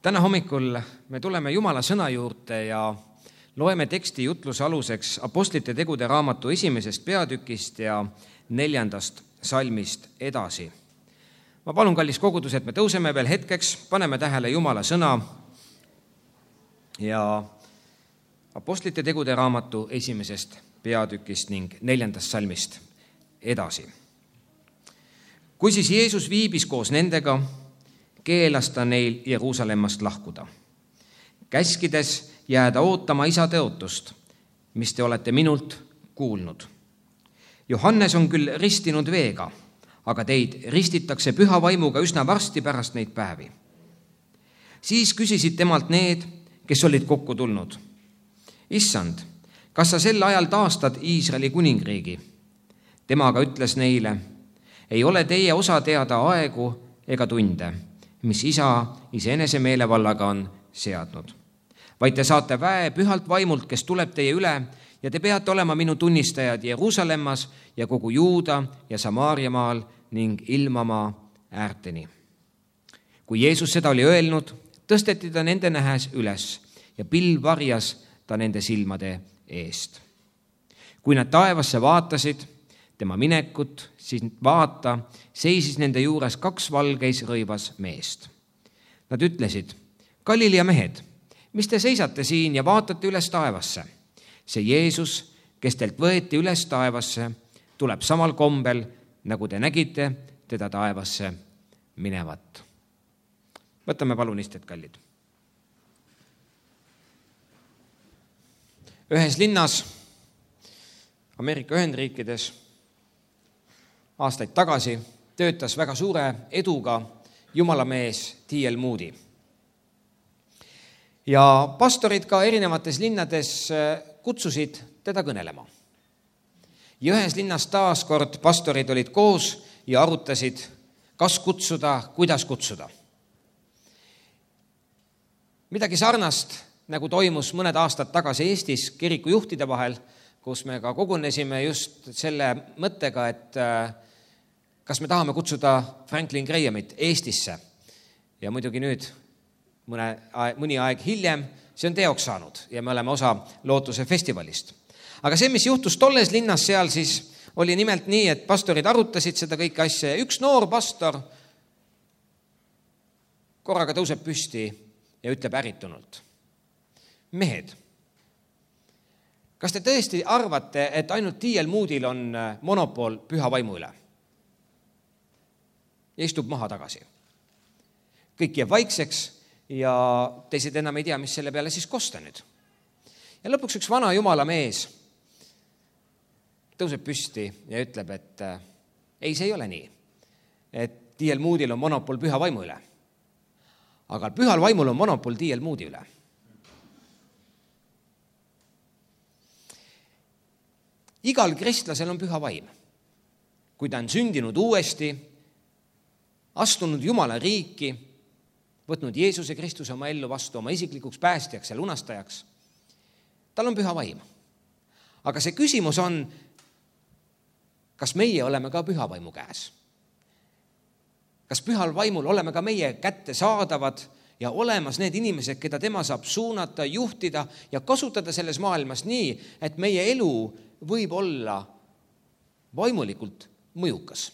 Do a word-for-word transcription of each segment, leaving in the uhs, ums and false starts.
Täna hommikul me tuleme Jumala sõna juurde ja loeme teksti jutluse aluseks Apostlite tegude raamatu esimesest peatükist ja neljandast salmist edasi. Ma palun, kallis kogudus, et me tõuseme veel hetkeks, paneme tähele Jumala sõna ja Apostlite tegude raamatu esimesest peatükist ning neljandast salmist edasi. Kui siis Jeesus viibis koos nendega, keelas ta neil Jeruusalemmast lahkuda, käskides jääda ootama isa tõotust, mis te olete minult kuulnud. Johannes on küll ristinud veega, aga teid ristitakse püha vaimuga üsna varsti pärast neid päevi. Siis küsisid temalt need, kes olid kokku tulnud. Issand, kas sa sel ajal taastad Iisraeli kuningriigi? Tema aga ütles neile, ei ole teie osa teada aegu ega tunde, mis isa iseenese meelevallaga on seadnud. Vaid te saate väe pühalt vaimult, kes tuleb teie üle, ja te peate olema minu tunnistajad Jeruusalemmas ja kogu Juuda ja Samaariamaal ning ilmamaa äärteni. Kui Jeesus seda oli öelnud, tõsteti ta nende nähes üles ja pilv varjas ta nende silmade eest. Kui nad taevasse vaatasid, tema minekut, siis vaata, seisis nende juures kaks valgeis rõivas meest. Nad ütlesid, Galilea mehed, mis te seisate siin ja vaatate üles taevasse? See Jeesus, kes teilt võeti üles taevasse, tuleb samal kombel, nagu te nägite teda taevasse minevat. Võtame palun istet, kallid. Ühes linnas Ameerika Ühendriikides aastaid tagasi töötas väga suure eduga jumalamees T L Moody. Ja pastorid ka erinevates linnades kutsusid teda kõnelema. Ja ühes linnas taas kord pastorid olid koos ja arutasid, kas kutsuda, kuidas kutsuda. Midagi sarnast, nagu toimus mõned aastad tagasi Eestis kirikujuhtide vahel, kus me ka kogunesime just selle mõttega, et kas me tahame kutsuda Franklin Grahamit Eestisse. Ja muidugi nüüd, mõne, mõni aeg hiljem, see on teoks saanud ja me oleme osa Lootuse festivalist. Aga see, mis juhtus tolles linnas seal, siis oli nimelt nii, et pastorid arutasid seda kõike asja ja üks noor pastor korraga tõuseb püsti ja ütleb ärritunult. Mehed, kas te tõesti arvate, et ainult T L Moodyl on monopol püha vaimu üle? Ja istub maha tagasi. Kõik jääb vaikseks ja teised enam ei tea, mis selle peale siis kosta nüüd. Ja lõpuks üks vana jumala mees tõuseb püsti ja ütleb, et ei, see ei ole nii, et T L Moodyl on monopol püha vaimu üle. Aga pühal vaimul on monopol T L Moody üle. Igal kristlasel on püha vaim. Kui ta on sündinud uuesti, astunud Jumala riiki, võtnud Jeesuse Kristuse oma ellu vastu oma isiklikuks päästjaks ja lunastajaks, tal on püha vaim. Aga see küsimus on, kas meie oleme ka püha vaimu käes? Kas pühal vaimul oleme ka meie kätte saadavad ja olemas need inimesed, keda tema saab suunata, juhtida ja kasutada selles maailmas nii, et meie elu võib olla vaimulikult mõjukas.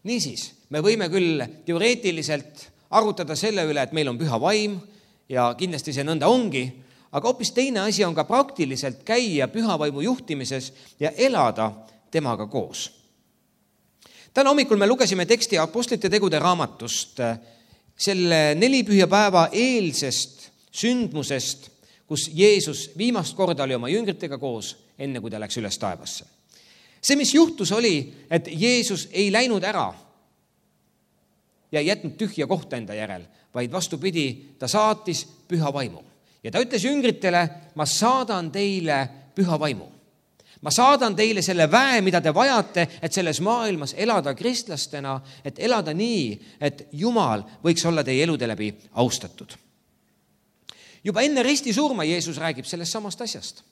Niisiis, me võime küll teoreetiliselt arutada selle üle, et meil on püha vaim ja kindlasti see nõnda ongi, aga hoopis teine asi on ka praktiliselt käia püha vaimu juhtimises ja elada temaga koos. Täna hommikul me lugesime teksti Apostlite tegude raamatust selle nelipühjapäeva eelsest sündmusest, kus Jeesus viimast korda oli oma jüngritega koos, enne kui ta läks üles taevasse. See, mis juhtus, oli, et Jeesus ei läinud ära ja ei jätnud tühja kohta enda järel, vaid vastupidi, ta saatis püha vaimu. Ja ta ütles jüngritele, ma saadan teile püha vaimu. Ma saadan teile selle väe, mida te vajate, et selles maailmas elada kristlastena, et elada nii, et Jumal võiks olla teie elude läbi austatud. Juba enne risti surma Jeesus räägib sellest samast asjast.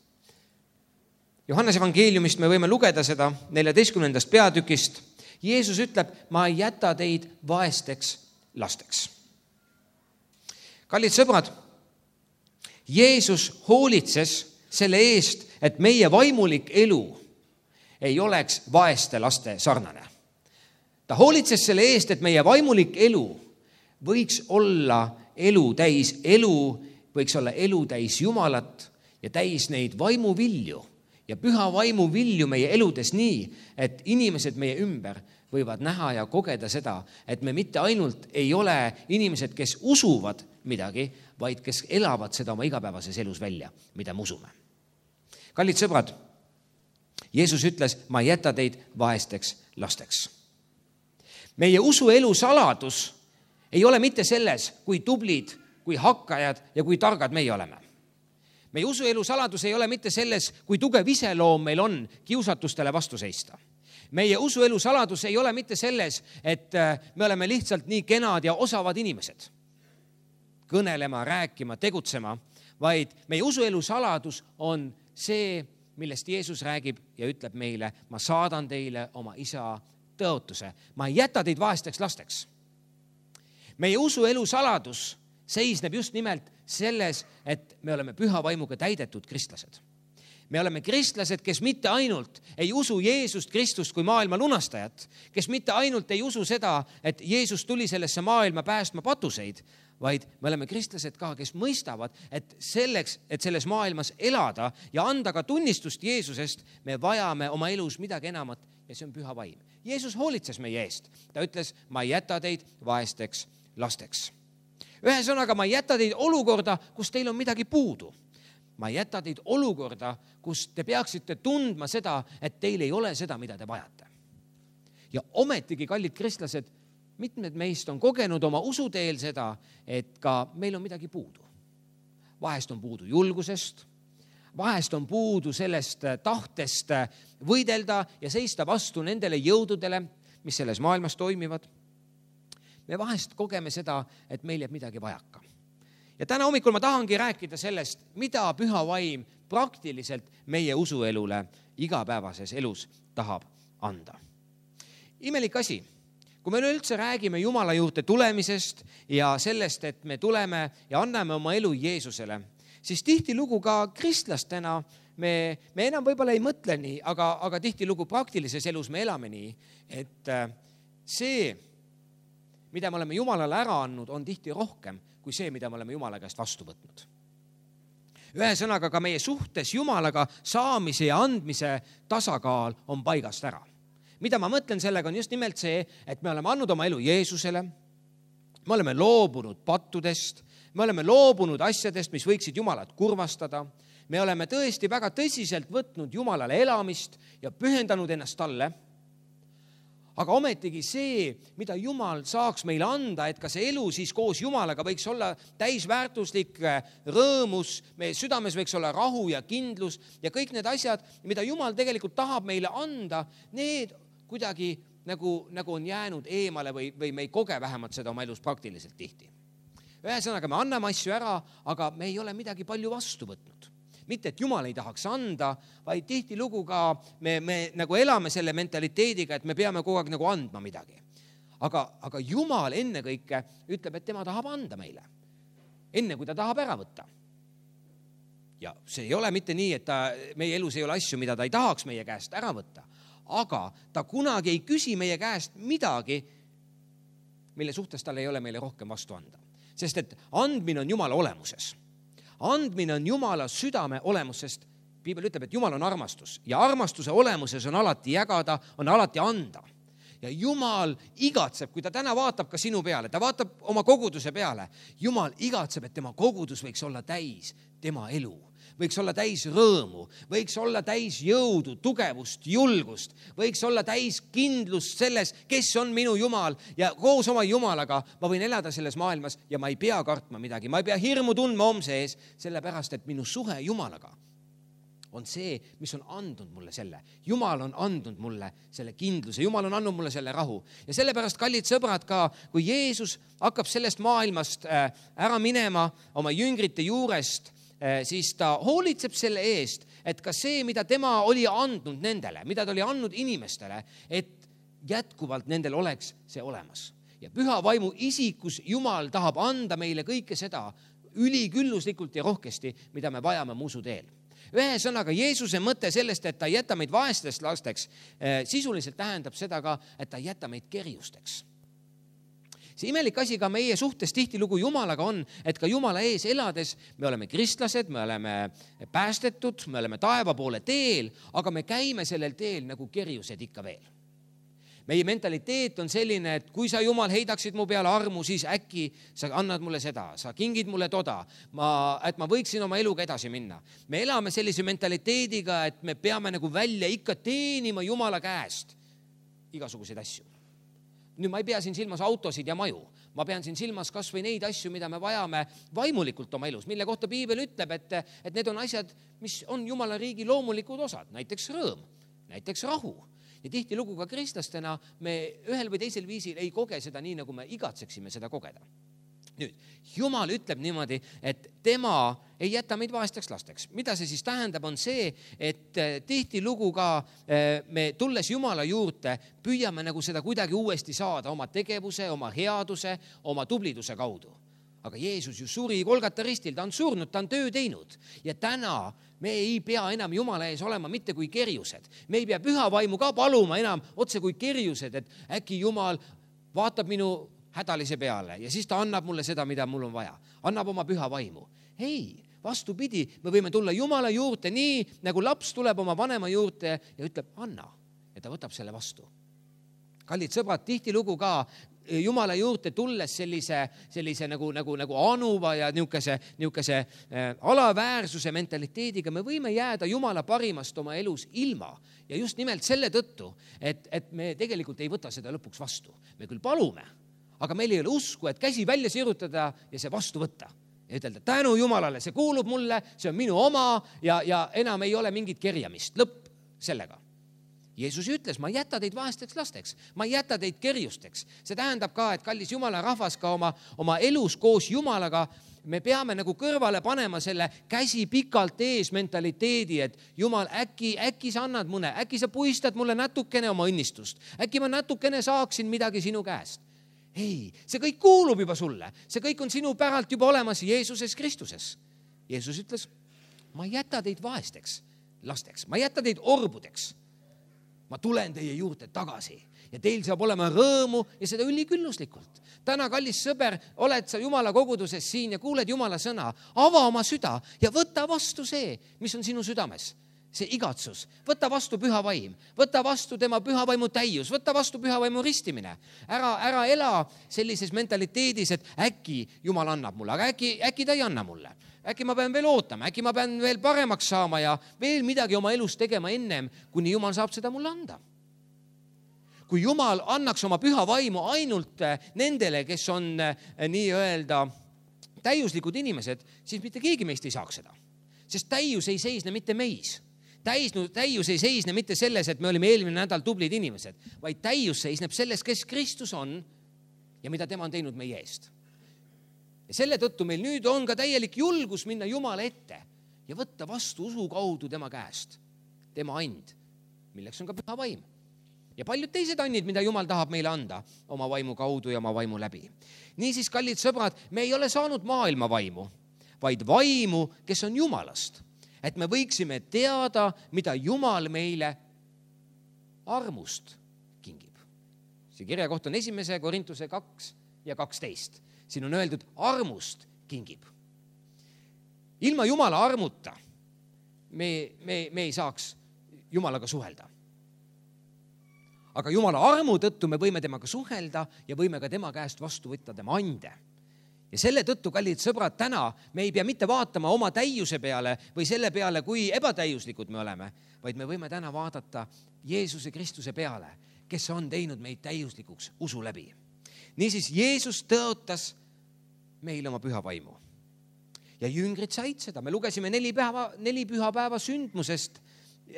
Johannese evangeeliumist me võime lugeda seda neljateistkümnendast peatükist. Jeesus ütleb, ma ei jäta teid vaesteks lasteks. Kallid sõbrad, Jeesus hoolitses selle eest, et meie vaimulik elu ei oleks vaeste laste sarnane. Ta hoolitses selle eest, et meie vaimulik elu võiks olla elu täis elu, võiks olla elu täis Jumalat ja täis neid vaimuvilju ja püha vaimuvilju meie eludes nii, et inimesed meie ümber võivad näha ja kogeda seda, et me mitte ainult ei ole inimesed, kes usuvad midagi, vaid kes elavad seda oma igapäevases elus välja, mida me usume. Kallid sõbrad, Jeesus ütles, ma ei jäta teid vaesteks lasteks. Meie usuelu saladus ei ole mitte selles, kui tublid, kui hakkajad ja kui targad meie oleme. Meie usuelu saladus ei ole mitte selles, kui tugev iseloom meil on kiusatustele vastu seista. Meie usuelu saladus ei ole mitte selles, et me oleme lihtsalt nii kenad ja osavad inimesed. Kõnelema, rääkima, tegutsema, vaid meie usuelu saladus on see, millest Jeesus räägib ja ütleb meile, ma saadan teile oma isa tõotuse. Ma ei jäta teid vaesteks lasteks. Meie usuelu saladus seisneb just nimelt selles, et me oleme püha vaimuga täidetud kristlased. Me oleme kristlased, kes mitte ainult ei usu Jeesust Kristust kui maailma lunastajat, kes mitte ainult ei usu seda, et Jeesus tuli sellesse maailma päästma patuseid, vaid me oleme kristlased ka, kes mõistavad, et selleks, et selles maailmas elada ja anda ka tunnistust Jeesusest, me vajame oma elus midagi enamat ja see on püha vaim. Jeesus hoolitses meie eest. Ta ütles, ma ei jäta teid vaesteks lasteks. Ühesõnaga, ma ei jäta teid olukorda, kus teil on midagi puudu. Ma ei jäta teid olukorda, kus te peaksite tundma seda, et teil ei ole seda, mida te vajate. Ja ometigi, kallid kristlased, mitmed meist on kogenud oma usuteel seda, et ka meil on midagi puudu. Vahest on puudu julgusest, vahest on puudu sellest tahtest võidelda ja seista vastu nendele jõududele, mis selles maailmas toimivad. Me vahest kogeme seda, et meil jääb midagi vajaka. Ja täna hommikul ma tahangi rääkida sellest, mida püha vaim praktiliselt meie usuelule igapäevases elus tahab anda. Imelik asi, kui me üldse räägime Jumala juurde tulemisest ja sellest, et me tuleme ja anname oma elu Jeesusele, siis tihti lugu ka kristlastena me, me enam võib-olla ei mõtle nii, aga, aga tihti lugu praktilises elus me elame nii, et see, mida me oleme Jumalale ära andnud, on tihti rohkem kui see, mida me oleme Jumala käest vastu võtnud. Ühesõnaga, ka meie suhtes Jumalaga saamise ja andmise tasakaal on paigast ära. Mida ma mõtlen sellega on just nimelt see, et me oleme andnud oma elu Jeesusele, me oleme loobunud pattudest, me oleme loobunud asjadest, mis võiksid Jumalat kurvastada, me oleme tõesti väga tõsiselt võtnud Jumalale elamist ja pühendanud ennast talle. Aga ometigi see, mida Jumal saaks meile anda, et ka see elu siis koos Jumalaga võiks olla täisväärtuslik rõõmus, meie südames võiks olla rahu ja kindlus ja kõik need asjad, mida Jumal tegelikult tahab meile anda, need kuidagi nagu, nagu on jäänud eemale või, või me ei koge vähemalt seda oma elus praktiliselt tihti. Ühesõnaga, me anname asju ära, aga me ei ole midagi palju vastu võtnud. Mitte, et Jumal ei tahaks anda, vaid tihti lugu ka me, me nagu elame selle mentaliteediga, et me peame kogu aeg nagu andma midagi. Aga, aga Jumal ennekõike ütleb, et tema tahab anda meile, enne kui ta tahab ära võtta. Ja see ei ole mitte nii, et ta, meie elus ei ole asju, mida ta ei tahaks meie käest ära võtta, aga ta kunagi ei küsi meie käest midagi, mille suhtes tal ei ole meile rohkem vastu anda. Sest et andmine on Jumala olemuses. Andmine on Jumala südame olemus, sest Piibel ütleb, et Jumal on armastus ja armastuse olemuses on alati jagada, on alati anda. Ja Jumal igatseb, kui ta täna vaatab ka sinu peale, ta vaatab oma koguduse peale, Jumal igatseb, et tema kogudus võiks olla täis tema elu, võiks olla täis rõõmu, võiks olla täis jõudu, tugevust, julgust, võiks olla täis kindlust selles, kes on minu Jumal ja koos oma Jumalaga ma võin elada selles maailmas ja ma ei pea kartma midagi, ma ei pea hirmu tundma homse ees, sellepärast, et minu suhe Jumalaga on see, mis on andnud mulle selle. Jumal on andnud mulle selle kindluse, Jumal on andnud mulle selle rahu. Ja sellepärast, kallid sõbrad, ka kui Jeesus hakkab sellest maailmast ära minema oma jüngrite juurest, siis ta hoolitseb selle eest, et ka see, mida tema oli andnud nendele, mida ta oli andnud inimestele, et jätkuvalt nendel oleks see olemas. Ja püha vaimu isikus Jumal tahab anda meile kõike seda ülikülluslikult ja rohkesti, mida me vajame mu usu teel. Ühesõnaga, Jeesuse mõte sellest, et ta ei jäta meid vaestest lasteks, sisuliselt tähendab seda ka, et ta ei jäta meid kerjusteks. See imelik asi ka meie suhtes tihtilugu Jumalaga on, et ka Jumala ees elades me oleme kristlased, me oleme päästetud, me oleme taeva poole teel, aga me käime sellel teel nagu kerjused ikka veel. Meie mentaliteet on selline, et kui sa Jumal heidaksid mu peale armu, siis äkki sa annad mulle seda, sa kingid mulle toda, ma, et ma võiksin oma eluga edasi minna. Me elame sellise mentaliteediga, et me peame nagu välja ikka teenima Jumala käest igasuguseid asju. Nüüd ma ei pea siin silmas autosid ja maju. Ma pean siin silmas kas või neid asju, mida me vajame vaimulikult oma elus, mille kohta Piibel ütleb, et, et need on asjad, mis on Jumala riigi loomulikud osad, näiteks rõõm, näiteks rahu. Ja tihtilugu ka kristlastena me ühel või teisel viisil ei koge seda nii, nagu me igatseksime seda kogeda. Nüüd, Jumal ütleb niimoodi, et tema ei jäta meid vaesteks lasteks. Mida see siis tähendab, on see, et tihtilugu ka me tulles Jumala juurde püüame nagu seda kuidagi uuesti saada oma tegevuse, oma headuse, oma tubliduse kaudu. Aga Jeesus ju suri Golgata ristil, ta on surnud, ta on töö teinud. Ja täna me ei pea enam Jumala ees olema mitte kui kerjused. Me ei pea püha vaimu ka paluma enam otse kui kerjused, et äkki Jumal vaatab minu hädalise peale ja siis ta annab mulle seda, mida mul on vaja. Annab oma püha vaimu. Ei, vastupidi, me võime tulla Jumala juurde nii, nagu laps tuleb oma vanema juurde ja ütleb, anna. Ja ta võtab selle vastu. Kallid sõbrad, tihtilugu ka Jumala juurde tulles sellise, sellise nagu, nagu, nagu anuva ja niukese, niukese äh, alaväärsuse mentaliteediga me võime jääda Jumala parimast oma elus ilma. Ja just nimelt selle tõttu, et, et me tegelikult ei võta seda lõpuks vastu. Me küll palume, aga meil ei ole usku, et käsi välja sirutada ja see vastu võtta. Ja ütelda, tänu Jumalale, see kuulub mulle, see on minu oma ja, ja enam ei ole mingit kerjamist. Lõpp sellega. Jeesus ütles, ma ei jäta teid vaesteks lasteks, ma ei jäta teid kerjusteks. See tähendab ka, et kallis Jumala rahvas ka oma, oma elus koos Jumalaga, me peame nagu kõrvale panema selle käsi pikalt ees mentaliteedi, et Jumal, äkki, äkki sa annad mõne, äkki sa puistad mulle natukene oma õnnistust, äkki ma natukene saaksin midagi sinu käest. Ei, see kõik kuulub juba sulle, see kõik on sinu päralt juba olemas Jeesuses Kristuses. Jeesus ütles, ma ei jäta teid vaesteks lasteks, ma ei jäta teid orbudeks. Ma tulen teie juurde tagasi ja teil saab olema rõõmu ja seda ülikülluslikult. Täna, kallis sõber, oled sa Jumala koguduses siin ja kuuled Jumala sõna. Ava oma süda ja võta vastu see, mis on sinu südames. See igatsus. Võta vastu püha vaim. Võta vastu tema püha vaimu täius. Võta vastu püha vaimu ristimine. Ära, ära ela sellises mentaliteedis, et äkki Jumal annab mulle, aga äkki, äkki ta ei anna mulle. Äkki ma pean veel ootama, äkki ma pean veel paremaks saama ja veel midagi oma elus tegema ennem, kuni Jumal saab seda mulle anda. Kui Jumal annaks oma püha vaimu ainult nendele, kes on nii-öelda täiuslikud inimesed, siis mitte keegi meist ei saaks seda. Sest täius ei seisne mitte meis. Täius ei seisne mitte selles, et me olime eelmine nädal tublid inimesed, vaid täius seisneb selles, kes Kristus on ja mida tema on teinud meie eest. Ja selle tõttu meil nüüd on ka täielik julgus minna Jumala ette ja võtta vastu usu kaudu tema käest, tema and, milleks on ka püha vaim. Ja paljud teised annid, mida Jumal tahab meile anda oma vaimu kaudu ja oma vaimu läbi. Niisiis, kallid sõbrad, me ei ole saanud maailma vaimu, vaid vaimu, kes on Jumalast. Et me võiksime teada, mida Jumal meile armust kingib. See kirja koht on esimese Korintuse kaks ja kaksteist. Siin on öeldud, armust kingib. Ilma Jumala armuta me, me, me ei saaks Jumalaga suhelda. Aga Jumala armu tõttu me võime temaga suhelda ja võime ka tema käest vastu võtta tema ande. Ja selle tõttu, kallid sõbrad, täna me ei pea mitte vaatama oma täiuse peale või selle peale, kui ebatäiuslikud me oleme, vaid me võime täna vaadata Jeesuse Kristuse peale, kes on teinud meid täiuslikuks usu läbi. Niisiis, Jeesus tõotas meile oma püha vaimu. Ja jüngrid said seda. Me lugesime neli, päeva, neli püha päeva sündmusest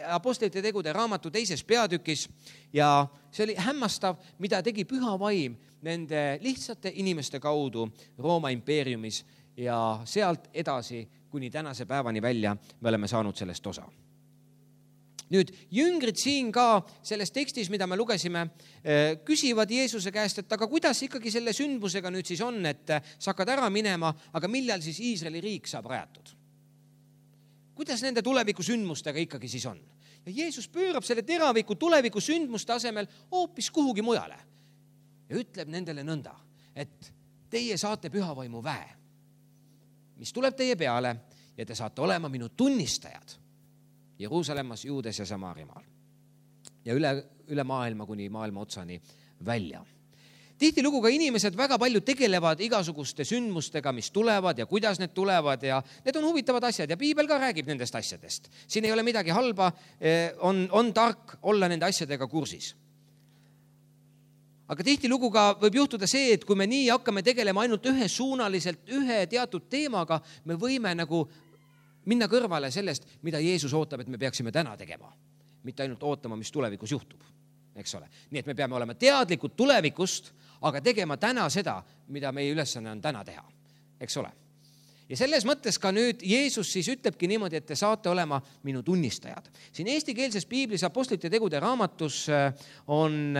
Apostlite tegude raamatu teises peatükis ja see oli hämmastav, mida tegi püha vaim nende lihtsate inimeste kaudu Rooma impeeriumis ja sealt edasi kuni tänase päevani välja me oleme saanud sellest osa. Nüüd jüngrid siin ka selles tekstis, mida me lugesime, küsivad Jeesuse käest, et aga kuidas ikkagi selle sündmusega nüüd siis on, et sa hakkad ära minema, aga millal siis Iisraeli riik saab rajatud? Kuidas nende tuleviku sündmustega ikkagi siis on? Ja Jeesus pöörab selle teraviku tuleviku sündmuste asemel hoopis kuhugi mujale ja ütleb nendele nõnda, et teie saate pühavaimu väe, mis tuleb teie peale ja te saate olema minu tunnistajad Jeruusalemmas, Juudes ja Samaarimaal ja üle, üle maailma kuni maailma otsani välja. Tihtilugu ka inimesed väga palju tegelevad igasuguste sündmustega, mis tulevad ja kuidas need tulevad ja need on huvitavad asjad ja Piibel ka räägib nendest asjadest. Siin ei ole midagi halba, on, on tark olla nende asjadega kursis. Aga tihtilugu ka võib juhtuda see, et kui me nii hakkame tegelema ainult ühesuunaliselt ühe teatud teemaga, me võime nagu minna kõrvale sellest, mida Jeesus ootab, et me peaksime täna tegema. Mitte ainult ootama, mis tulevikus juhtub, eks ole. Nii et me peame olema teadlikud tulevikust, aga tegema täna seda, mida meie ülesanne on täna teha, eks ole. Ja selles mõttes ka nüüd Jeesus siis ütlebki niimoodi, et te saate olema minu tunnistajad. Siin eestikeelses Piiblis Apostlite tegude raamatus on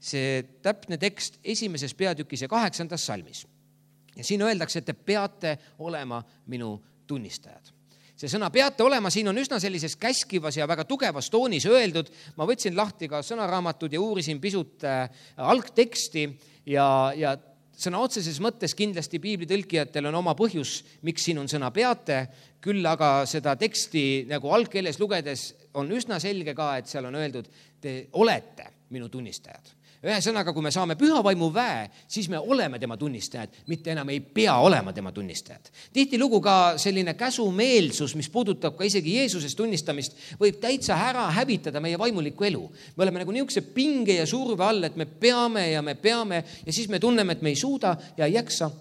see täpne tekst esimeses peatükis ja kaheksandas salmis. Ja siin öeldakse, et te peate olema minu tunnistajad. See sõna peate olema, siin on üsna sellises käskivas ja väga tugevas toonis öeldud. Ma võtsin lahti ka sõnaraamatud ja uurisin pisut äh, algteksti ja, ja sõna otseses mõttes kindlasti piibli tõlkijatel on oma põhjus, miks siin on sõna peate, küll aga seda teksti nagu algkeeles lugedes on üsna selge ka, et seal on öeldud, te olete minu tunnistajad. Ühe sõnaga, kui me saame pühavaimu väe, siis me oleme tema tunnistajad, mitte enam ei pea olema tema tunnistajad. Tihtilugu ka selline käsumeelsus, mis puudutab ka isegi Jeesusest tunnistamist, võib täitsa ära hävitada meie vaimulikku elu. Me oleme nagu niisuguse pinge ja surve all, et me peame ja me peame ja siis me tunneme, et me ei suuda ja ei jaksa.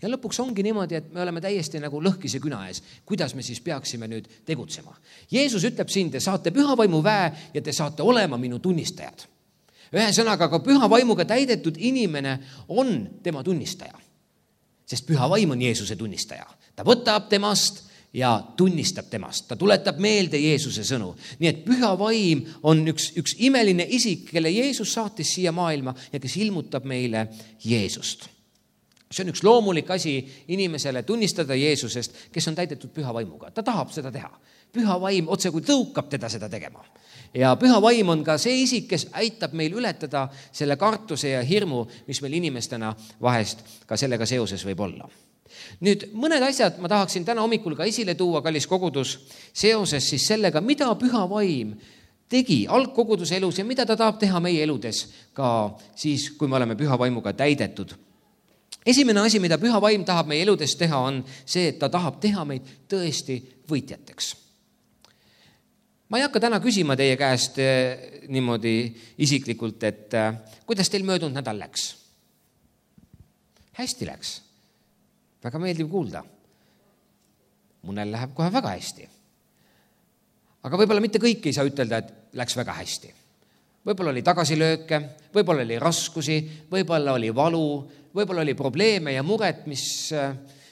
Ja lõpuks ongi niimoodi, et me oleme täiesti nagu lõhkise küna ees. Kuidas me siis peaksime nüüd tegutsema? Jeesus ütleb siin, te saate pühavaimu väe ja te saate olema minu tunnistajad. Ühe sõnaga, aga püha vaimuga täidetud inimene on tema tunnistaja. Sest püha vaim on Jeesuse tunnistaja. Ta võtab temast ja tunnistab temast. Ta tuletab meelde Jeesuse sõnu. Nii et püha vaim on üks, üks imeline isik, kelle Jeesus saatis siia maailma ja kes ilmutab meile Jeesust. See on üks loomulik asi inimesele tunnistada Jeesusest, kes on täidetud püha vaimuga. Ta tahab seda teha. Püha vaim otse kui tõukab teda seda tegema. Ja püha vaim on ka see isik, kes aitab meil ületada selle kartuse ja hirmu, mis meil inimestena vahest ka sellega seoses võib olla. Nüüd mõned asjad ma tahaksin täna hommikul ka esile tuua, kallis kogudus, seoses siis sellega, mida püha vaim tegi algkoguduse elus ja mida ta tahab teha meie eludes ka siis, kui me oleme püha vaimuga täidetud. Esimene asi, mida püha vaim tahab meie eludes teha, on see, et ta tahab teha meid tõesti võitjateks. Ma ei hakka täna küsima teie käest niimoodi isiklikult, et kuidas teil möödunud nädal läks? Hästi läks. Väga meeldiv kuulda. Mõnel läheb kohe väga hästi. Aga võib-olla mitte kõik ei saa ütelda, et läks väga hästi. Võib-olla oli tagasilööke, võib-olla oli raskusi, võib-olla oli valu, võib-olla oli probleeme ja muret, mis,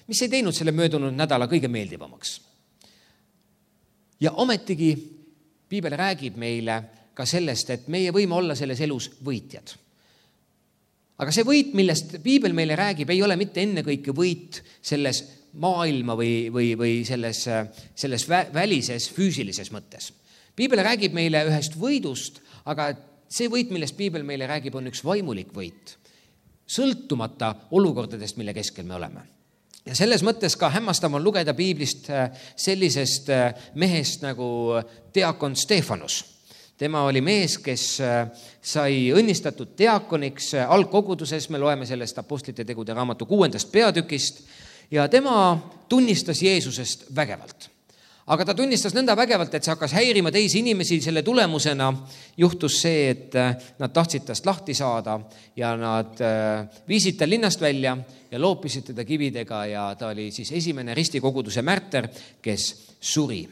mis ei teinud selle möödunud nädala kõige meeldivamaks. Ja ometigi Piibel räägib meile ka sellest, et meie võime olla selles elus võitjad. Aga see võit, millest Piibel meile räägib, ei ole mitte ennekõike võit selles maailma või, või, või selles, selles välises füüsilises mõttes. Piibel räägib meile ühest võidust, aga see võit, millest Piibel meile räägib, on üks vaimulik võit, sõltumata olukordadest, mille keskel me oleme. Ja selles mõttes ka hämmastav on lugeda Piiblist sellisest mehest nagu diakon Stefanus. Tema oli mees, kes sai õnnistatud diakoniks algkoguduses, me loeme sellest Apostlite tegude raamatu kuuendast peatükist ja tema tunnistas Jeesusest vägevalt. Aga ta tunnistas nõnda vägevalt, et see hakkas häirima teisi inimesi. Selle tulemusena juhtus see, et nad tahtsid tast lahti saada ja nad viisid ta linnast välja ja loopisid teda kividega ja ta oli siis esimene ristikoguduse märter, kes suri.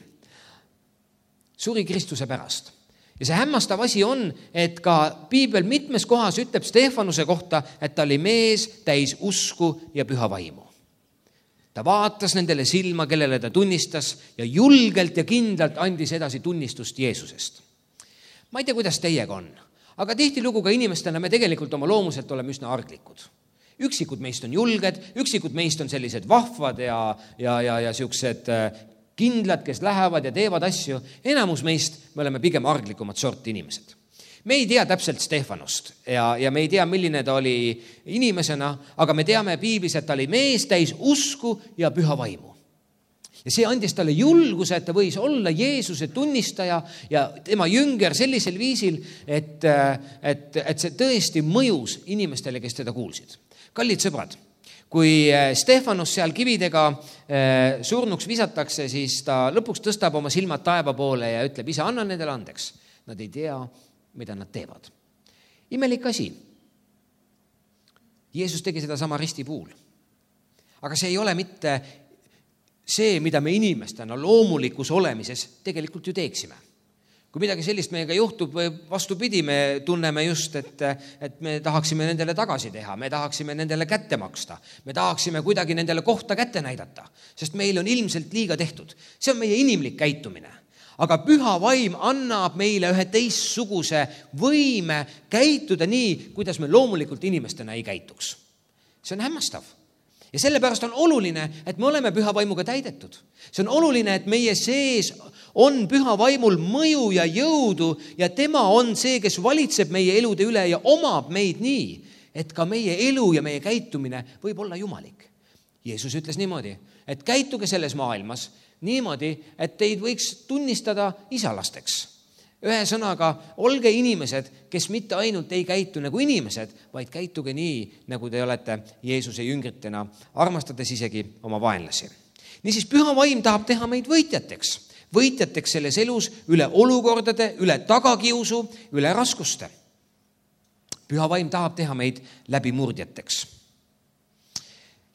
Suri Kristuse pärast. Ja see hämmastav asi on, et ka Piibel mitmes kohas ütleb Stefanuse kohta, et ta oli mees täis usku ja püha vaimu. Ta vaatas nendele silma, kellele ta tunnistas ja julgelt ja kindlalt andis edasi tunnistust Jeesusest. Ma ei tea, kuidas teiega on, aga tihtilugu ka inimestena me tegelikult oma loomuselt oleme üsna arglikud. Üksikud meist on julged, üksikud meist on sellised vahvad ja, ja, ja, ja siuksed kindlad, kes lähevad ja teevad asju. Enamus meist me oleme pigem arglikumad sorti inimesed. Me ei tea täpselt Stefanost ja, ja me ei tea, milline ta oli inimesena, aga me teame piiblis, et ta oli mees täis usku ja püha vaimu. Ja see andis talle julguse, et ta võis olla Jeesuse tunnistaja ja tema jünger sellisel viisil, et, et, et see tõesti mõjus inimestele, kes teda kuulsid. Kallid sõbrad, kui Stefanos seal kividega surnuks visatakse, siis ta lõpuks tõstab oma silmad taeva poole ja ütleb, isa, anna nendele andeks. Nad ei tea, mida nad teevad. Imelik asi. Jeesus tegi seda sama risti puhul. Aga see ei ole mitte see, mida me inimestena loomulikus olemises tegelikult ju teeksime. Kui midagi sellist meiega juhtub või vastupidi, me tunneme just, et, et me tahaksime nendele tagasi teha, me tahaksime nendele kätte maksta, me tahaksime kuidagi nendele kohta kätte näidata, sest meil on ilmselt liiga tehtud. See on meie inimlik käitumine. Aga püha vaim annab meile ühe teistsuguse võime käituda nii, kuidas me loomulikult inimestena ei käituks. See on hämmastav. Ja sellepärast on oluline, et me oleme püha vaimuga täidetud. See on oluline, et meie sees on püha vaimul mõju ja jõudu ja tema on see, kes valitseb meie elude üle ja omab meid nii, et ka meie elu ja meie käitumine võib olla jumalik. Jeesus ütles niimoodi, et käituge selles maailmas niimoodi, et teid võiks tunnistada isalasteks. Ühe sõnaga, olge inimesed, kes mitte ainult ei käitu nagu inimesed, vaid käituge nii, nagu te olete Jeesuse jüngritena, armastades isegi oma vaenlasi. Niisiis, püha vaim tahab teha meid võitjateks. Võitjateks selles elus üle olukordade, üle tagakiusu, üle raskuste. Püha vaim tahab teha meid läbimurdjateks.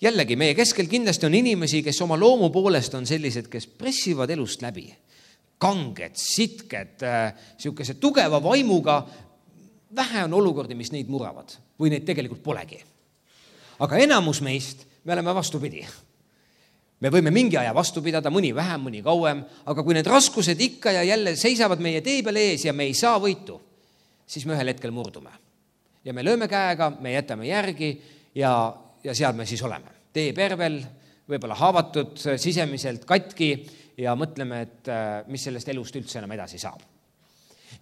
Jällegi, meie keskel kindlasti on inimesi, kes oma loomu poolest on sellised, kes pressivad elust läbi. Kanged, sitked, siukese tugeva vaimuga. Vähe on olukordi, mis neid muravad või neid tegelikult polegi. Aga enamus meist me oleme vastupidi. Me võime mingi aja vastu pidada, mõni vähem, mõni kauem, aga kui need raskused ikka ja jälle seisavad meie tee peal ees ja me ei saa võitu, siis me ühel hetkel murdume. Ja me lööme käega, me jätame järgi ja, ja seal me siis oleme. Tee pervel, võib-olla haavatud, sisemiselt katki ja mõtleme, et mis sellest elust üldse enam edasi saab.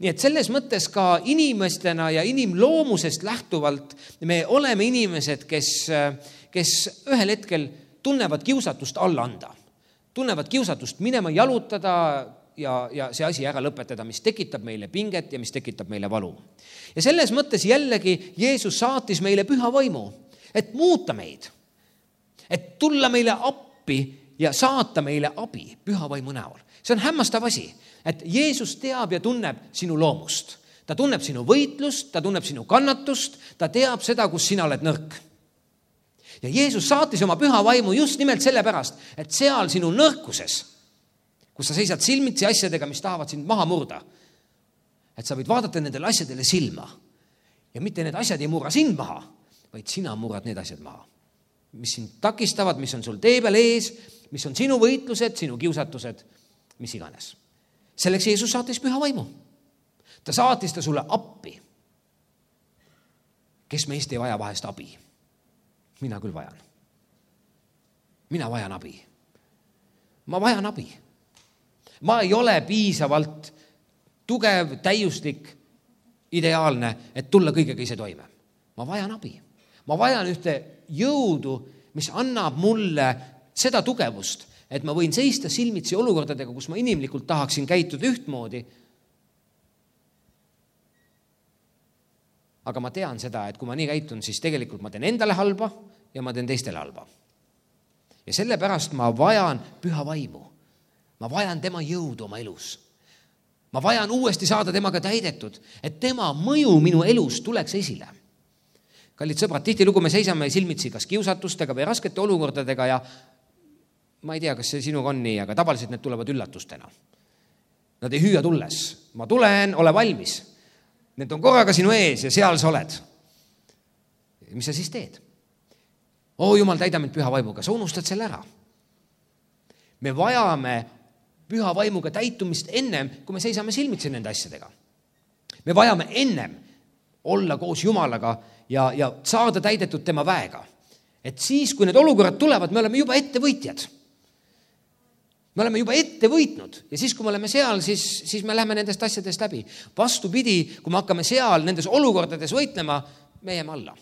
Nii et selles mõttes ka inimestena ja inimloomusest lähtuvalt me oleme inimesed, kes, kes ühel hetkel tunnevad kiusatust alla anda. Tunnevad kiusatust minema jalutada ja, ja see asi ära lõpetada, mis tekitab meile pinget ja mis tekitab meile valu. Ja selles mõttes jällegi Jeesus saatis meile püha vaimu, et muuta meid, et tulla meile appi ja saata meile abi püha vaimu näol. See on hämmastav asi, et Jeesus teab ja tunneb sinu loomust. Ta tunneb sinu võitlust, ta tunneb sinu kannatust, ta teab seda, kus sina oled nõrk. Ja Jeesus saatis oma püha vaimu just nimelt sellepärast, et seal sinu nõrkuses, kus sa seisad silmitsi asjadega, mis tahavad sind maha murda, et sa võid vaadata nendele asjadele silma. Ja mitte need asjad ei murra sind maha, vaid sina murrad need asjad maha, mis sind takistavad, mis on sul tee peal ees, mis on sinu võitlused, sinu kiusatused, mis iganes. Selleks Jeesus saatis püha vaimu. Ta saatis ta sulle appi. Kes meist ei vaja vahest abi? Mina küll vajan. Mina vajan abi. Ma vajan abi. Ma ei ole piisavalt tugev, täiuslik, ideaalne, et tulla kõigega ise toime. Ma vajan abi. Ma vajan ühte jõudu, mis annab mulle seda tugevust, et ma võin seista silmitsi olukordadega, kus ma inimlikult tahaksin käituda ühtmoodi. Aga ma tean seda, et kui ma nii käitun, siis tegelikult ma teen endale halba ja ma teen teistele halba. Ja sellepärast ma vajan püha vaimu. Ma vajan tema jõudu oma elus. Ma vajan uuesti saada temaga täidetud, et tema mõju minu elus tuleks esile. Kallid sõbrad, tihtilugu me seisame silmitsi kas kiusatustega või raskete olukordadega ja ma ei tea, kas see sinuga on nii, aga tavaliselt need tulevad üllatustena. Nad ei hüüa tulles. Ma tulen, ole valmis. Need on korraga sinu ees ja seal sa oled. Mis sa siis teed? Oo, Jumal, täida mind püha vaimuga. Sa unustad selle ära. me vajame püha vaimuga täitumist ennem, kui me seisame silmitsi nende asjadega. Me vajame ennem olla koos Jumalaga ja, ja saada täidetud tema väega. Et siis, kui need olukorrad tulevad, me oleme juba ettevõitjad. Me oleme juba ette võitnud ja siis, kui me oleme seal, siis, siis me läheme nendest asjadest läbi. Vastupidi, kui me hakkame seal nendes olukordades võitlema, me jääme alla.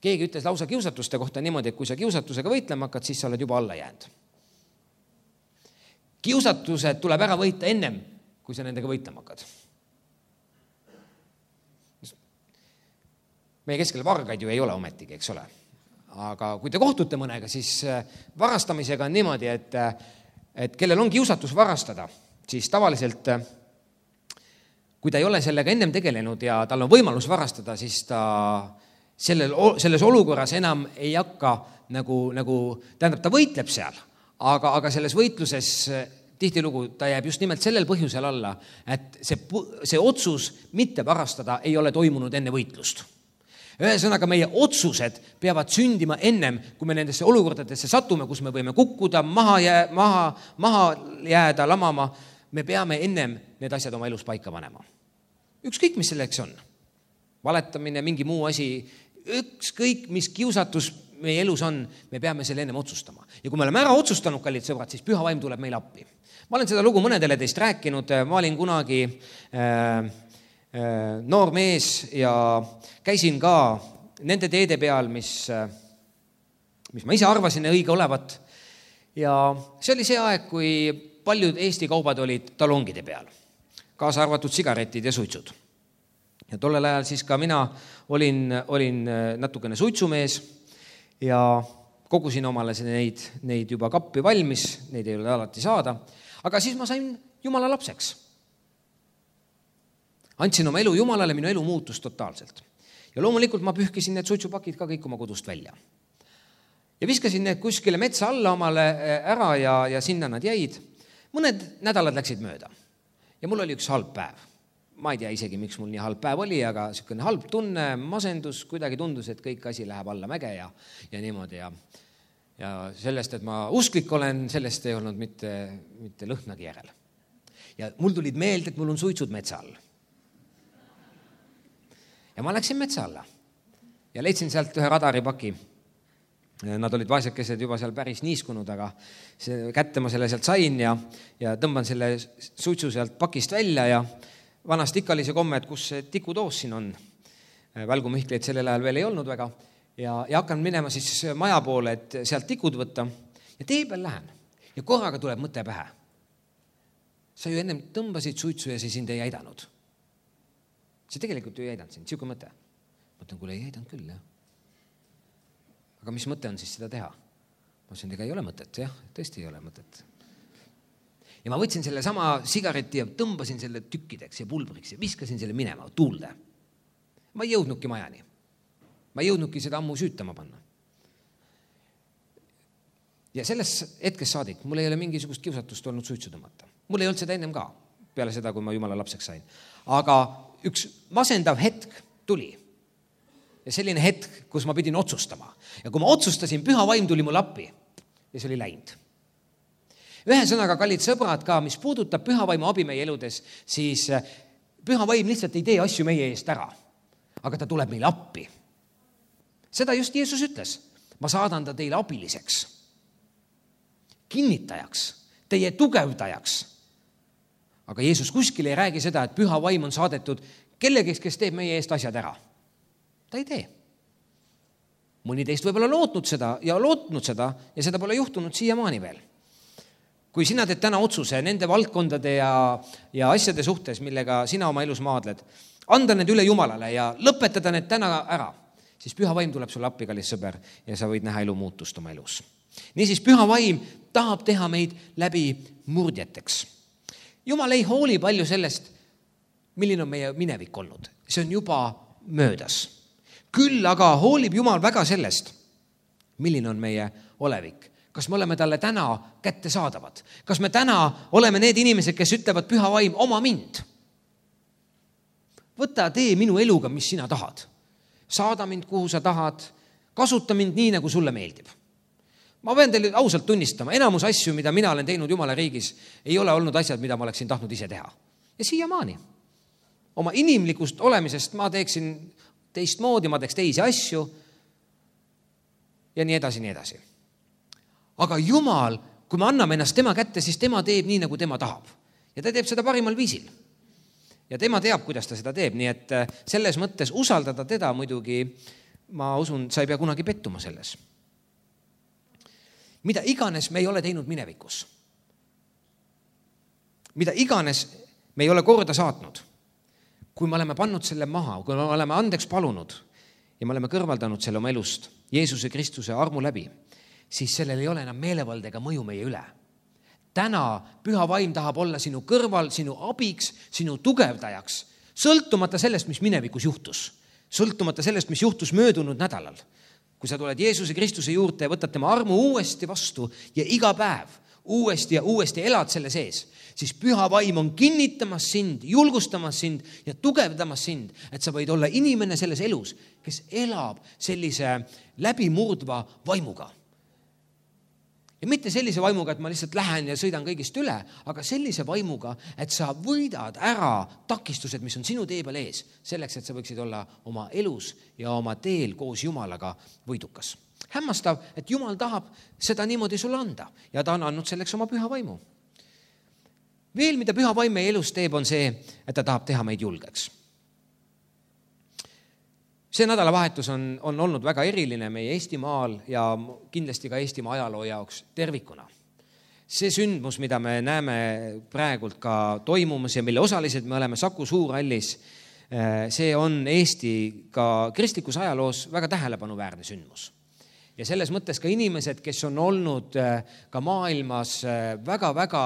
Keegi ütles lausa kiusatuste kohta niimoodi, et kui sa kiusatusega võitlema hakkad, siis sa oled juba alla jäänud. Kiusatused tuleb ära võita ennem, kui sa nendega võitlema hakkad. Meie keskel vargaid ju ei ole ometigi, eks ole. Aga kui te kohtute mõnega, siis varastamisega on niimoodi, et, et kellel on kiusatus varastada, siis tavaliselt, kui ta ei ole sellega ennem tegelenud ja tal on võimalus varastada, siis ta sellel, selles olukorras enam ei hakka nagu, nagu tähendab, ta võitleb seal, aga, aga selles võitluses tihtilugu ta jääb just nimelt sellel põhjusel alla, et see, see otsus mitte varastada ei ole toimunud enne võitlust. Ühesõnaga, meie otsused peavad sündima ennem, kui me nendesse olukordadesse satume, kus me võime kukkuda, maha, jää, maha, maha jääda, lamama. Me peame ennem need asjad oma elus paika panema. Ükskõik, mis selleks on. Valetamine, mingi muu asi, ükskõik, mis kiusatus meie elus on, me peame selle ennem otsustama. Ja kui me oleme ära otsustanud, kallid sõbrad, siis püha vaim tuleb meil appi. Ma olen seda lugu mõnedele teist rääkinud, ma olin kunagi äh, noor mees ja käisin ka nende teede peal, mis, mis ma ise arvasin õige olevat. Ja see oli see aeg, kui paljud Eesti kaubad olid talongide peal, kaasa arvatud sigaretid ja suitsud. Ja tollel ajal siis ka mina olin, olin natukene suitsumees ja kogusin omale neid, neid juba kappi valmis, neid ei ole alati saada, aga siis ma sain Jumala lapseks. Andsin oma elu Jumalale, minu elu muutus totaalselt. Ja loomulikult ma pühkisin need suitsupakid ka kõik oma kodust välja. Ja viskasin need kuskile metsa alla omale ära ja, ja sinna nad jäid. Mõned nädalad läksid mööda. Ja mul oli üks halb päev. Ma ei tea isegi, miks mul nii halb päev oli, aga selline halb tunne, masendus, kuidagi tundus, et kõik asi läheb alla mäge ja, ja niimoodi. Ja, ja sellest, et ma usklik olen, sellest ei olnud mitte, mitte lõhnagi järel. Ja mul tulid meelde, et mul on suitsud metsa all. Ja ma läksin metsa alla ja leidsin sealt ühe radaripaki. Nad olid vaesekesed juba seal päris niiskunud, aga see, kätte ma selle sealt sain ja, ja tõmban selle suitsu sealt pakist välja ja vanast ikka oli see komme, et kus see tikudoos siin on. Välgumihkleid sellel ajal veel ei olnud väga ja, ja hakkan minema siis maja poole, et sealt tikud võtta ja tee peal lähen ja korraga tuleb mõte pähe. Sa ju ennem tõmbasid suitsu ja see sind ei aidanud. See tegelikult ju ei aidanud sind, siuke mõte. Mõtlen, kuule ei aidanud küll, jah. Aga mis mõte on siis seda teha? Ma ütlesin, ega ei ole mõtet, jah, tõesti ei ole mõtet. Ja ma võtsin selle sama sigareti ja tõmbasin selle tükkideks ja pulbriks ja viskasin selle minema, tuulde. Ma ei jõudnudki majani. Ma ei jõudnudki seda ammu süütama panna. Ja selles hetkes saadik, mul ei ole mingisugust kiusatust olnud suitsu tõmmata. Mul ei olnud seda ennem ka, peale seda, kui ma Jumala lapseks sain. Aga üks masendav hetk tuli. Ja selline hetk, kus ma pidin otsustama. Ja kui ma otsustasin, püha vaim tuli mul appi ja see oli läinud. Ühesõnaga, kallid sõbrad ka, mis puudutab püha vaimu abi meie eludes, siis püha vaim lihtsalt ei tee asju meie eest ära, aga ta tuleb meile appi. Seda just Jeesus ütles. Ma saadan ta teile abiliseks, kinnitajaks, teie tugevdajaks. Aga Jeesus kuskil ei räägi seda, et püha vaim on saadetud kellegiks, kes teeb meie eest asjad ära. Ta ei tee. Mõni teist võib-olla lootnud seda ja lootnud seda ja seda pole juhtunud siiamaani veel. Kui sina teed täna otsuse nende valdkondade ja, ja asjade suhtes, millega sina oma elus maadled, anda need üle Jumalale ja lõpetada need täna ära, siis püha vaim tuleb sulle appi, kallis sõber, ja sa võid näha elu muutust oma elus. Niisiis, püha vaim tahab teha meid läbi murdjateks. Jumal ei hooli palju sellest, milline on meie minevik olnud. See on juba möödas. Küll aga hoolib Jumal väga sellest, milline on meie olevik. Kas me oleme talle täna kätte saadavad? Kas me täna oleme need inimesed, kes ütlevad püha vaim oma mind? Võta, tee minu eluga, mis sina tahad. Saada mind, kuhu sa tahad. Kasuta mind nii, nagu sulle meeldib. Ma pean teile ausalt tunnistama, enamus asju, mida mina olen teinud Jumala riigis, ei ole olnud asjad, mida ma oleksin tahtnud ise teha. Ja siiamaani. Oma inimlikust olemisest ma teeksin teistmoodi, ma teeks teisi asju ja nii edasi, nii edasi. Aga Jumal, kui me anname ennast tema kätte, siis tema teeb nii, nagu tema tahab. Ja ta teeb seda parimal viisil. Ja tema teab, kuidas ta seda teeb, nii et selles mõttes usaldada teda muidugi, ma usun, sa ei pea kunagi pettuma selles. Mida iganes me ei ole teinud minevikus. Mida iganes me ei ole korda saatnud. Kui me oleme pannud selle maha, kui me oleme andeks palunud ja me oleme kõrvaldanud selle oma elust Jeesuse Kristuse armu läbi, siis sellel ei ole enam meelevaldega mõju meie üle. Täna püha vaim tahab olla sinu kõrval, sinu abiks, sinu tugevdajaks, sõltumata sellest, mis minevikus juhtus. Sõltumata sellest, mis juhtus möödunud nädalal. Kui sa tuled Jeesuse Kristuse juurde ja võtad tema armu uuesti vastu ja iga päev uuesti ja uuesti elad selle sees, siis püha vaim on kinnitamas sind, julgustamas sind ja tugevdamas sind, et sa võid olla inimene selles elus, kes elab sellise läbimurdva vaimuga. Ja mitte sellise vaimuga, et ma lihtsalt lähen ja sõidan kõigist üle, aga sellise vaimuga, et sa võidad ära takistused, mis on sinu tee peal ees, selleks, et sa võiksid olla oma elus ja oma teel koos Jumalaga võidukas. Hämmastav, et Jumal tahab seda niimoodi sulle anda ja ta on andnud selleks oma püha vaimu. Veel, mida püha vaim meie elus teeb, on see, et ta tahab teha meid julgeks. See nädalavahetus on, on olnud väga eriline meie Eestimaal ja kindlasti ka Eestimaa ajaloo jaoks tervikuna. See sündmus, mida me näeme praegult ka toimumas ja mille osalised me oleme Saku Suurhallis, see on Eesti ka kristlikus ajaloos väga tähelepanuväärne sündmus. Ja selles mõttes ka inimesed, kes on olnud ka maailmas väga-väga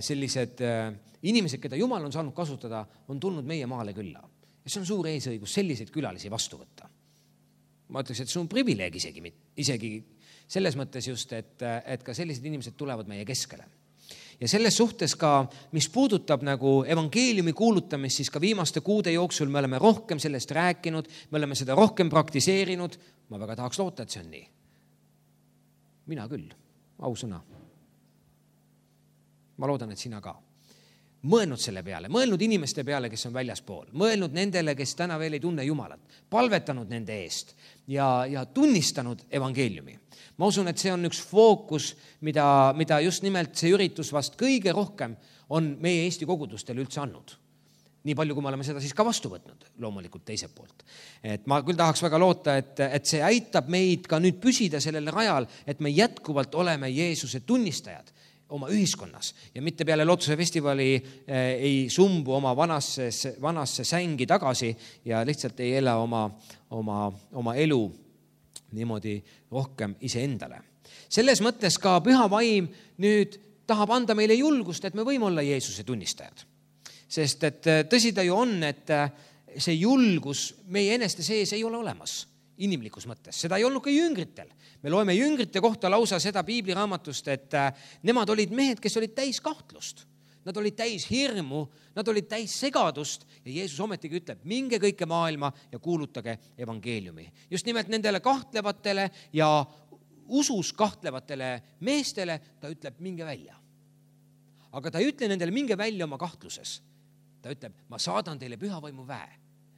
sellised inimesed, keda Jumal on saanud kasutada, on tulnud meie maale külla. Ja see on suur eesõigus selliseid külalisi vastu võtta. Ma ütleks, et see on privileeg isegi, isegi selles mõttes just, et, et ka sellised inimesed tulevad meie keskele. Ja selles suhtes ka, mis puudutab nagu evangeeliumi kuulutamist, siis ka viimaste kuude jooksul me oleme rohkem sellest rääkinud, me oleme seda rohkem praktiseerinud. Ma väga tahaks loota, et see on nii. Mina küll, ausõna. Ma loodan, et sina ka. Mõelnud selle peale, mõelnud inimeste peale, kes on väljaspool, mõelnud nendele, kes täna veel ei tunne Jumalat, palvetanud nende eest ja, ja tunnistanud evangeeliumi. Ma usun, et see on üks fookus, mida, mida just nimelt see üritus vast kõige rohkem on meie Eesti kogudustel üldse andnud. Nii palju, kui me oleme seda siis ka vastu võtnud, loomulikult teiselt poolt. Et ma küll tahaks väga loota, et, et see aitab meid ka nüüd püsida sellel rajal, et me jätkuvalt oleme Jeesuse tunnistajad oma ühiskonnas ja mitte peale Lootuse festivali eh, ei sumbu oma vanasse, vanasse sängi tagasi ja lihtsalt ei ela oma, oma, oma elu niimoodi rohkem iseendale. Selles mõttes ka püha vaim nüüd tahab anda meile julgust, et me võime olla Jeesuse tunnistajad. Sest et tõsi ta ju on, et see julgus meie eneste sees ei ole olemas inimlikus mõttes. Seda ei olnud ka jüngritel. Me loeme jüngrite kohta lausa seda piibliraamatust, et nemad olid mehed, kes olid täis kahtlust. Nad olid täis hirmu, nad olid täis segadust ja Jeesus ometigi ütleb, minge kõike maailma ja kuulutage evangeeliumi. Just nimelt nendele kahtlevatele ja usus kahtlevatele meestele ta ütleb, minge välja. Aga ta ei ütle nendele, minge välja oma kahtluses. Ta ütleb, ma saadan teile püha vaimu väe,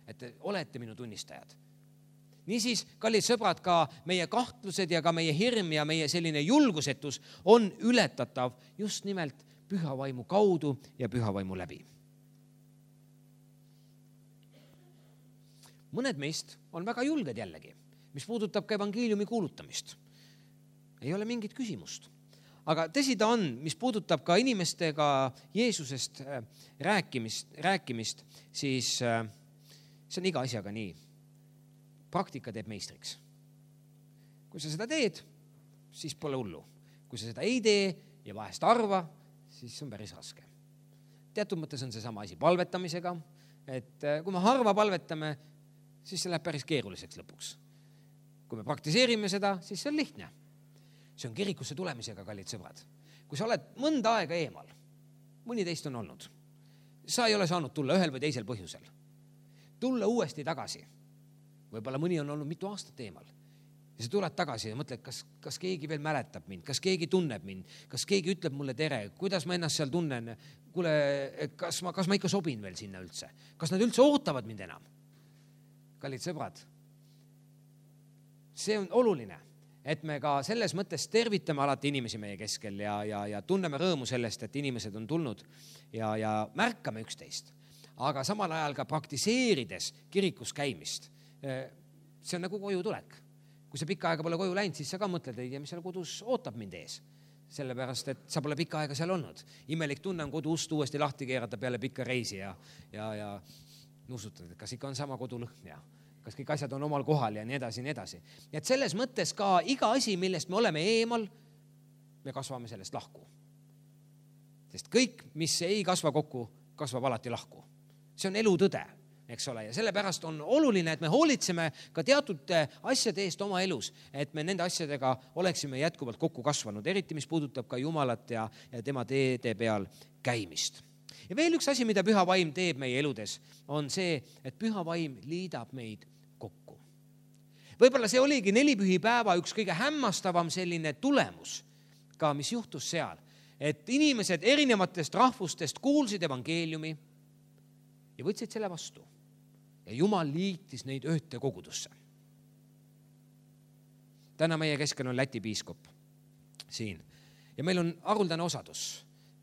et te olete minu tunnistajad. Niisiis, kallid sõbrad, ka meie kahtlused ja ka meie hirm ja meie selline julgusetus on ületatav just nimelt püha vaimu kaudu ja püha vaimu läbi. Mõned meist on väga julged jällegi, mis puudutab ka evangeeliumi kuulutamist. Ei ole mingit küsimust. Aga tõsi ta on, mis puudutab ka inimestega Jeesusest rääkimist, rääkimist, siis see on iga asjaga nii. Praktika teeb meistriks. Kui sa seda teed, siis pole hullu. Kui sa seda ei tee ja vahest arva, siis on päris raske. Teatud mõttes on see sama asi palvetamisega, et kui me harva palvetame, siis see läheb päris keeruliseks lõpuks. Kui me praktiseerime seda, siis see on lihtne. See on kirikusse tulemisega, kallid sõbrad. Kui sa oled mõnda aega eemal, mõni teist on olnud, sa ei ole saanud tulla ühel või teisel põhjusel. Tulla uuesti tagasi. Võib-olla mõni on olnud mitu aastat eemal. ja sa tuled tagasi ja mõtled, kas, kas keegi veel mäletab mind, kas keegi tunneb mind, kas keegi ütleb mulle tere, kuidas ma ennast seal tunnen, kuule, kas ma, kas ma ikka sobin veel sinna üldse, kas nad üldse ootavad mind enam? Kallid sõbrad, see on oluline, et me ka selles mõttes tervitame alati inimesi meie keskel ja, ja, ja tunneme rõõmu sellest, et inimesed on tulnud ja, ja märkame üksteist, aga samal ajal ka praktiseerides kirikus käimist. See on nagu koju tulek. Kui sa pikka aega pole koju läinud, siis sa ka mõtled, ei tea, mis seal kodus ootab mind ees. Sellepärast, et sa pole pikka aega seal olnud. Imelik tunne on kodu ust uuesti lahti keerata peale pikka reisi ja, ja, ja nuusutad, et kas ikka on sama kodulõhn ja kas kõik asjad on omal kohal ja nii edasi, nii edasi. Ja et selles mõttes ka iga asi, millest me oleme eemal, me kasvame sellest lahku. Sest kõik, mis ei kasva kokku, kasvab alati lahku. See on elu tõde. Eks ole, ja sellepärast on oluline, et me hoolitseme ka teatud asjade eest oma elus, et me nende asjadega oleksime jätkuvalt kokku kasvanud, eriti mis puudutab ka Jumalat ja, ja tema teede peal käimist. Ja veel üks asi, mida püha vaim teeb meie eludes, on see, et püha vaim liidab meid kokku. Võib-olla see oligi nelipühipäeva üks kõige hämmastavam selline tulemus, ka mis juhtus seal, et inimesed erinevatest rahvustest kuulsid evangeeliumi ja võtsid selle vastu. Ja Jumal liitis neid ühte kogudusse. Täna meie keskel on Läti piiskop siin ja meil on haruldane osadus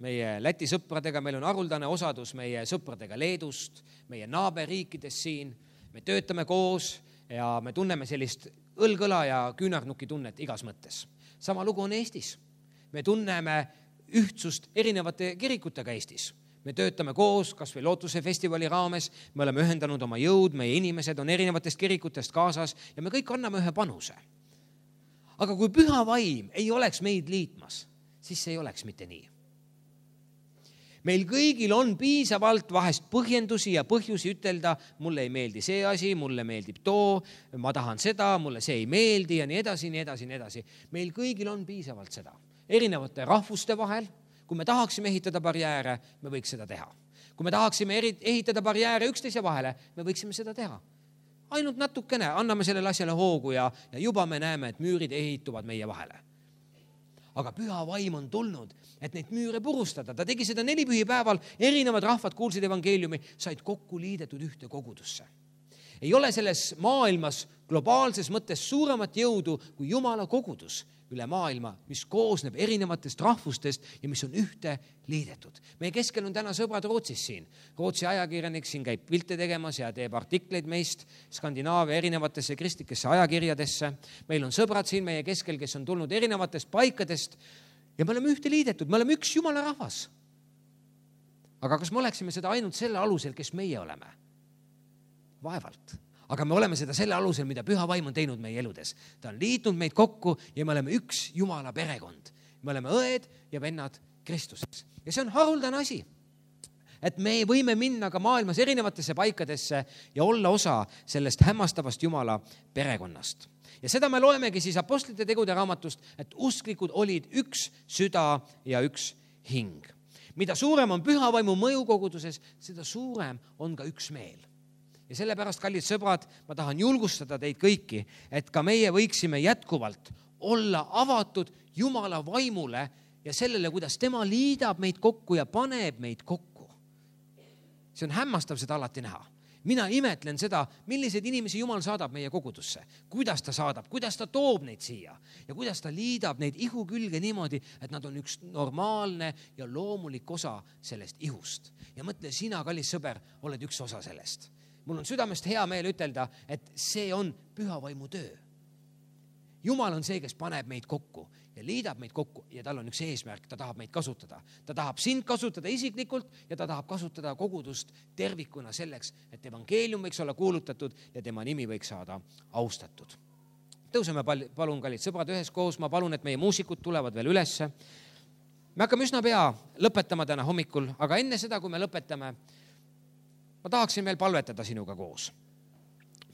meie Läti sõpradega, meil on haruldane osadus meie sõpradega Leedust, meie naaberriikides siin, me töötame koos ja me tunneme sellist õlgõla ja küünarnuki tunnet igas mõttes. Sama lugu on Eestis. Me tunneme ühtsust erinevate kirikutega Eestis. Me töötame koos, kas või Lootuse festivali raames, me oleme ühendanud oma jõud, meie inimesed on erinevatest kirikutest kaasas ja me kõik anname ühe panuse. Aga kui püha vaim ei oleks meid liitmas, siis see ei oleks mitte nii. Meil kõigil on piisavalt vahest põhjendusi ja põhjusi ütelda, mulle ei meeldi see asi, mulle meeldib too, ma tahan seda, mulle see ei meeldi ja nii edasi, nii edasi, nii edasi. Meil kõigil on piisavalt seda. Erinevate rahvuste vahel, kui me tahaksime ehitada barjääre, me võiks seda teha. Kui me tahaksime ehitada barjääre üksteise vahele, me võiksime seda teha. Ainult natukene anname sellele asjale hoogu ja, ja juba me näeme, et müürid ehituvad meie vahele. Aga püha vaim on tulnud, et neid müüre purustada. Ta tegi seda nelipühipäeval, erinevad rahvad kuulsid evangeeliumi, said kokku liidetud ühte kogudusse. Ei ole selles maailmas globaalses mõttes suuremat jõudu kui Jumala kogudus üle maailma, mis koosneb erinevatest rahvustest ja mis on ühte liidetud. Meie keskel on täna sõbrad Rootsis siin. Rootsi ajakirjanik siin käib pilte tegemas ja teeb artikleid meist Skandinaavia erinevatesse kristlikesse ajakirjadesse. Meil on sõbrad siin meie keskel, kes on tulnud erinevatest paikadest ja me oleme ühte liidetud, me oleme üks Jumala rahvas. Aga kas me oleksime seda ainult selle alusel, kes meie oleme? Vaevalt. Aga me oleme seda selle alusel, mida püha vaim on teinud meie eludes. Ta on liitnud meid kokku ja me oleme üks Jumala perekond. Me oleme õed ja vennad Kristuses. Ja see on haruldane asi, et me võime minna ka maailmas erinevatesse paikadesse ja olla osa sellest hämmastavast Jumala perekonnast. Ja seda me loemegi siis apostlite tegude raamatust, et usklikud olid üks süda ja üks hing. Mida suurem on püha vaimu mõju koguduses, seda suurem on ka üks meel. Ja sellepärast, kallid sõbrad, ma tahan julgustada teid kõiki, et ka meie võiksime jätkuvalt olla avatud Jumala vaimule ja sellele, kuidas tema liidab meid kokku ja paneb meid kokku. See on hämmastav seda alati näha. Mina imetlen seda, milliseid inimesi Jumal saadab meie kogudusse, kuidas ta saadab, kuidas ta toob neid siia ja kuidas ta liidab neid ihu külge niimoodi, et nad on üks normaalne ja loomulik osa sellest ihust. Ja mõtle, sina, kallis sõber, oled üks osa sellest. Mul on südamest hea meel ütelda, et see on püha vaimu töö. Jumal on see, kes paneb meid kokku ja liidab meid kokku ja tal on üks eesmärk, ta tahab meid kasutada. Ta tahab sind kasutada isiklikult ja ta tahab kasutada kogudust tervikuna selleks, et evangeelium võiks olla kuulutatud ja tema nimi võiks saada austatud. Tõuseme palun, kallid sõbrad, üheskoos. Ma palun, et meie muusikud tulevad veel ülesse. Me hakkame üsna pea lõpetama täna hommikul, aga enne seda, kui me lõpetame, ma tahaksin veel palvetada sinuga koos.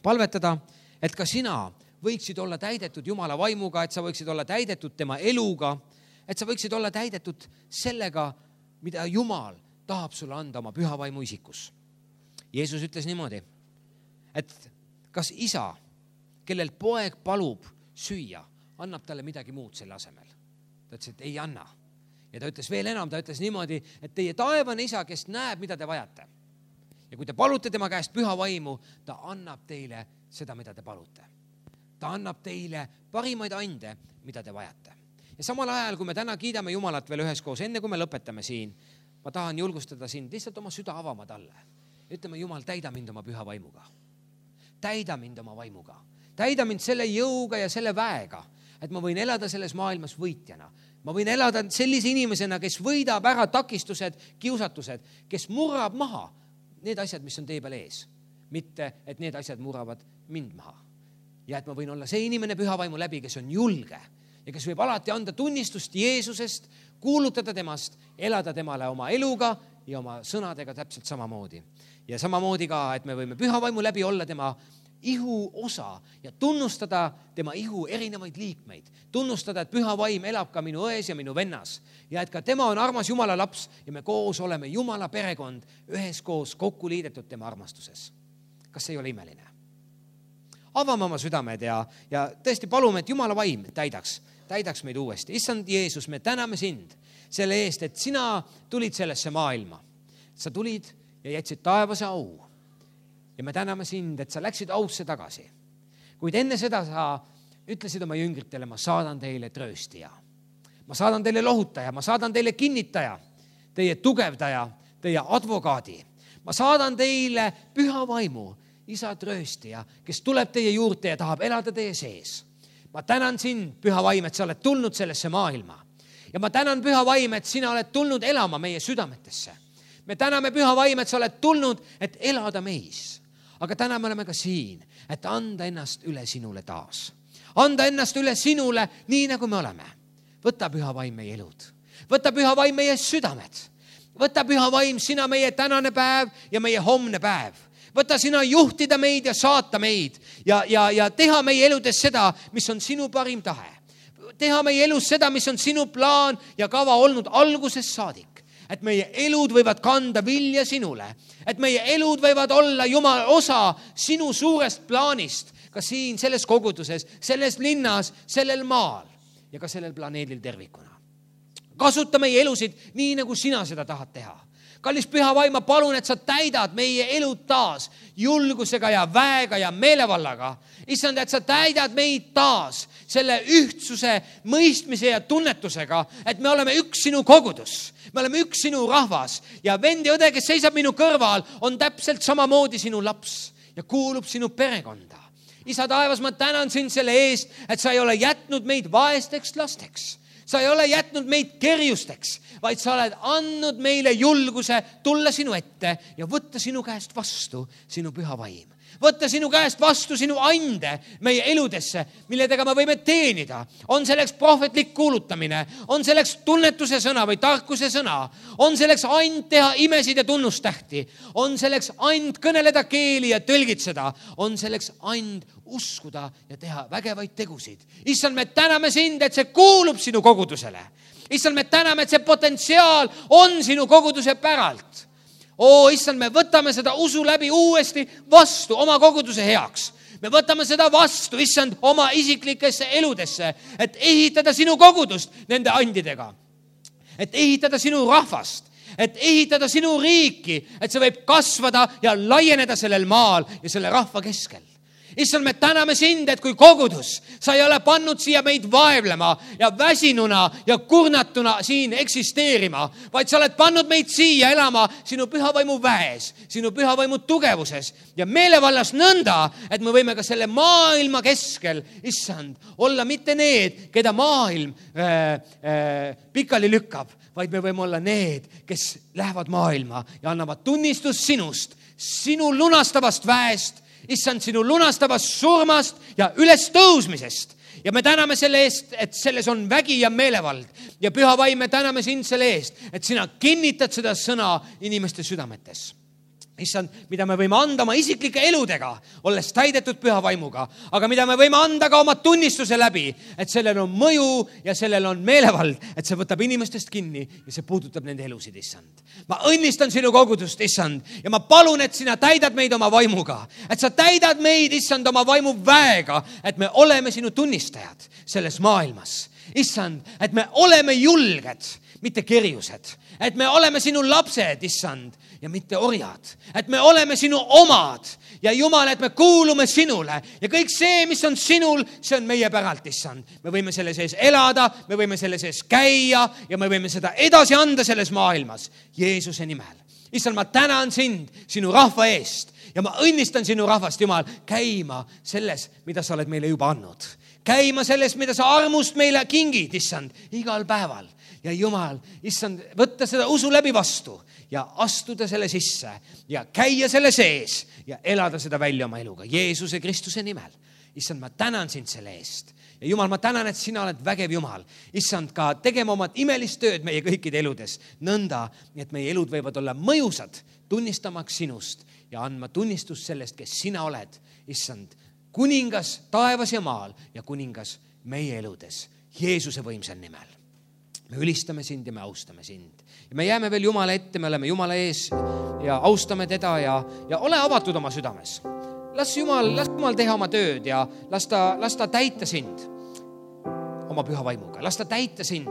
Palvetada, et ka sina võiksid olla täidetud Jumala vaimuga, et sa võiksid olla täidetud tema eluga, et sa võiksid olla täidetud sellega, mida Jumal tahab sulle anda oma püha vaimu isikus. Jeesus ütles niimoodi, et kas isa, kellel poeg palub süüa, annab talle midagi muud selle asemel. Ta ütles, et ei anna. Ja ta ütles veel enam, ta ütles niimoodi, et teie taevane isa, kes näeb, mida te vajate. Ja kui te palute tema käest püha vaimu, ta annab teile seda, mida te palute. Ta annab teile parimaid ande, mida te vajate. Ja samal ajal, kui me täna kiidame Jumalat veel üheskoos, enne kui me lõpetame siin, ma tahan julgustada sind lihtsalt oma süda avama talle. Ütleme, Jumal, täida mind oma püha vaimuga. Täida mind oma vaimuga. Täida mind selle jõuga ja selle väega, et ma võin elada selles maailmas võitjana. Ma võin elada sellise inimesena, kes võidab ära takistused, kiusatused, kes murrab maha need asjad, mis on tee peal ees. Mitte, et need asjad murravad mind maha. Ja et ma võin olla see inimene püha vaimu läbi, kes on julge ja kes võib alati anda tunnistust Jeesusest, kuulutada temast, elada temale oma eluga ja oma sõnadega täpselt samamoodi. Ja samamoodi ka, et me võime püha vaimu läbi olla tema ihu osa ja tunnustada tema ihu erinevaid liikmeid. Tunnustada, et püha vaim elab ka minu ões ja minu vennas ja et ka tema on armas Jumala laps ja me koos oleme Jumala perekond üheskoos kokku liidetud tema armastuses. Kas see ei ole imeline? Avame oma südamed ja, ja tõesti palume, et Jumala vaim täidaks, täidaks meid uuesti. Issand Jeesus, me täname sind selle eest, et sina tulid sellesse maailma. Sa tulid ja jätsid taevase au. Ja me täname sind, et sa läksid ausse tagasi. Kuid enne seda sa ütlesid oma jüngritele, ma saadan teile trööstija. Ma saadan teile lohutaja, ma saadan teile kinnitaja, teie tugevdaja, teie advokaadi. Ma saadan teile püha vaimu, isa trööstija, kes tuleb teie juurde ja tahab elada teie sees. Ma tänan sind, püha vaim, et sa oled tulnud sellesse maailma. Ja ma tänan püha vaim, et sina oled tulnud elama meie südametesse. Me täname püha vaim, et sa oled tulnud, et elada meis. Aga täna me oleme ka siin, et anda ennast üle sinule taas. Anda ennast üle sinule nii, nagu me oleme. Võta püha vaim meie elud. Võta püha vaim meie südamed. Võta püha vaim sina meie tänane päev ja meie homne päev. Võta sina juhtida meid ja saata meid ja, ja, ja teha meie eludes seda, mis on sinu parim tahe. Teha meie elus seda, mis on sinu plaan ja kava olnud algusest saadik. Et meie elud võivad kanda vilja sinule. Et meie elud võivad olla Jumala osa sinu suurest plaanist. Ka siin, selles koguduses, selles linnas, sellel maal ja ka sellel planeedil tervikuna. Kasuta meie elusid nii, nagu sina seda tahad teha. Kallis püha vaim, ma palun, et sa täidad meie elud taas julgusega ja väega ja meelevallaga. Issand, et sa täidad meid taas selle ühtsuse, mõistmise ja tunnetusega, et me oleme üks sinu kogudus. Me oleme üks sinu rahvas ja vend ja õde, kes seisab minu kõrval, on täpselt samamoodi sinu laps ja kuulub sinu perekonda. Isa taevas, ma tänan sind selle eest, et sa ei ole jätnud meid vaesteks lasteks. Sa ei ole jätnud meid kerjusteks, vaid sa oled andnud meile julguse tulla sinu ette ja võtta sinu käest vastu sinu püha vaim. Võtta sinu käest vastu sinu ande meie eludesse, milledega me võime teenida. On selleks prohvetlik kuulutamine, on selleks tunnetuse sõna või tarkuse sõna, on selleks and teha imesid ja tunnustähti, on selleks and kõneleda keeli ja tõlgitseda, on selleks and uskuda ja teha vägevaid tegusid. Issand, me täname sind, et see kuulub sinu kogudusele. Issand, me täname, et see potentsiaal on sinu koguduse päralt. Oo, issand, me võtame seda usu läbi uuesti vastu oma koguduse heaks. Me võtame seda vastu, issand, oma isiklikesse eludesse, et ehitada sinu kogudust nende andidega. Et ehitada sinu rahvast, et ehitada sinu riiki, et see võib kasvada ja laieneda sellel maal ja selle rahva keskel. Issand, me täname sind, et kui kogudus, sa ei ole pannud siia meid vaevlema ja väsinuna ja kurnatuna siin eksisteerima, vaid sa oled pannud meid siia elama sinu pühavaimu väes, sinu pühavaimu tugevuses ja meelevallas nõnda, et me võime ka selle maailma keskel, issand, olla mitte need, keda maailm äh, äh, pikali lükkab, vaid me võime olla need, kes lähevad maailma ja annavad tunnistust sinust, sinu lunastavast väest, issand, sinu lunastavast surmast ja üles tõusmisest. Ja me täname selle eest, et selles on vägi ja meelevald. Ja püha vaim, me täname sind selle eest, et sina kinnitad seda sõna inimeste südametes. issand, mida me võime anda oma isiklike eludega, olles täidetud püha vaimuga, aga mida me võime anda ka oma tunnistuse läbi, et sellel on mõju ja sellel on meelevald, et see võtab inimestest kinni ja see puudutab nende elusid, issand. Ma õnnistan sinu kogudust, issand, ja ma palun, et sina täidad meid oma vaimuga, et sa täidad meid, issand, oma vaimu väega, et me oleme sinu tunnistajad selles maailmas. Issand, et me oleme julged, mitte kerjused, et me oleme sinu lapsed, issand, ja mitte orjad, et me oleme sinu omad ja Jumal, et me kuulume sinule ja kõik see, mis on sinul, see on meie päralt, issand. Me võime selle sees elada, me võime selle sees käia ja me võime seda edasi anda selles maailmas Jeesuse nimel. Issand, ma tänan sind sinu rahva eest ja ma õnnistan sinu rahvast, Jumal, käima selles, mida sa oled meile juba andnud. Käima selles, mida sa armust meile kingid, issand, igal päeval. Ja Jumal, issand, võtta seda usu läbi vastu ja astuda selle sisse ja käia selle sees ja elada seda välja oma eluga Jeesuse Kristuse nimel. Issand, ma tänan sind selle eest. Ja Jumal, ma tänan, et sina oled vägev Jumal. Issand, ka tegema oma imelist tööd meie kõikide eludes. Nõnda, et meie elud võivad olla mõjusad, tunnistamaks sinust ja andma tunnistust sellest, kes sina oled. Issand, kuningas taevas ja maal ja kuningas meie eludes Jeesuse võimsal nimel. Me ülistame sind ja me austame sind. Ja me jääme veel Jumala ette, me oleme Jumala ees ja austame teda ja, ja ole avatud oma südames. Las Jumal, las Jumal teha oma tööd ja las ta, las ta täita sind oma püha vaimuga. Las ta täita sind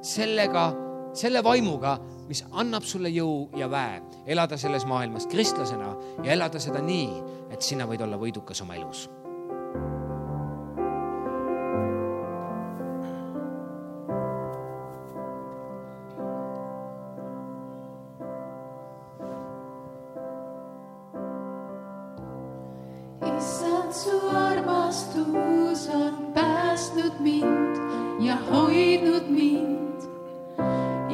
sellega, selle vaimuga, mis annab sulle jõu ja väe elada selles maailmas kristlasena ja elada seda nii, et sina võid olla võidukas oma elus. Issand, su armastus on päästnud mind ja hoidnud mind.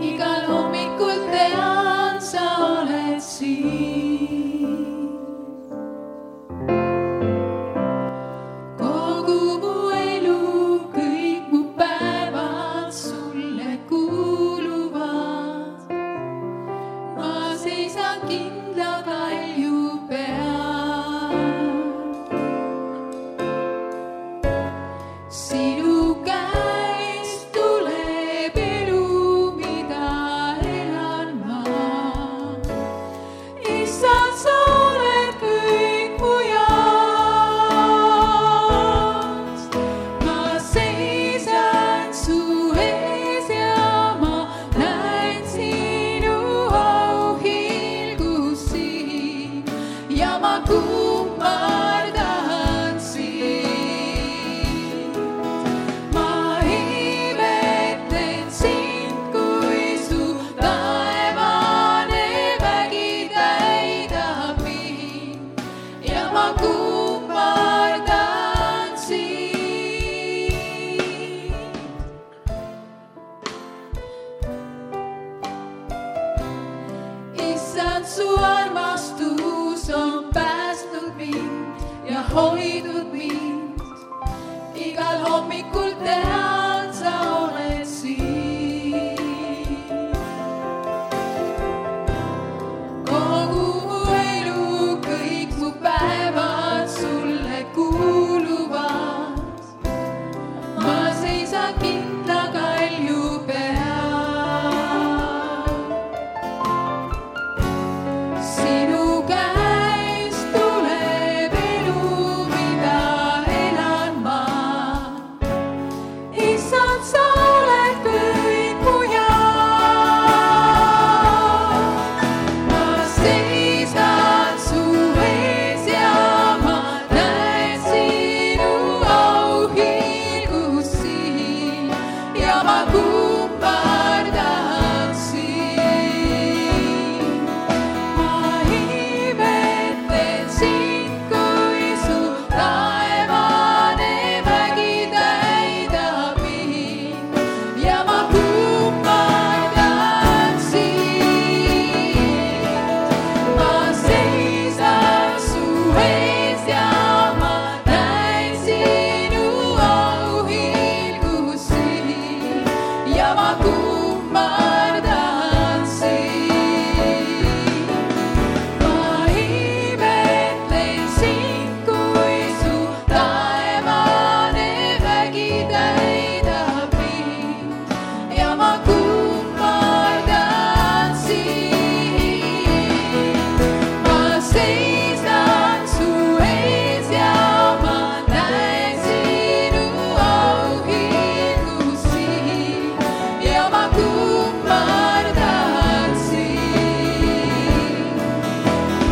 Igal hommikul tean, sa oled siin. Kogu mu elu, kõik mu päevad sulle kuuluvad. Ma seisan kindla kalju peal. Sinu käest tuleb elu, mida elan ma. Issand, sa oled kõik mu jaoks. Ma seisan su ees ja ma näen sinu auhilgus siin ja ma kummardan sind. Ma imetlen sind, kui su taevane vägi täidab mind ja ma kummardan sind. Issand, su armastus on päästnud mind ja hoidnud mind. Igal hommikul tean, sa oled siin. Kogu mu elu, kõik mu päevad sulle kuuluvad. Ma seisan kindla kalju peal. Sinu käest tuleb elu, mida elan ma. Issand, sa oled kõik mu jaoks. Ma seisan su ees ja ma näen sinu auhilgus siin ja ma kummardan sind. Ma imetlen sind, kui su taevane vägi täidab mind ja ma kummardan sind. Ma seisan su ees ja ma näen sinu auhilgus siin ja ma kummardan sind. Ma ja ma kummardan sind. Ma seisan su ees ja ma näen sinu auhilgusi ja ma kummardan sind.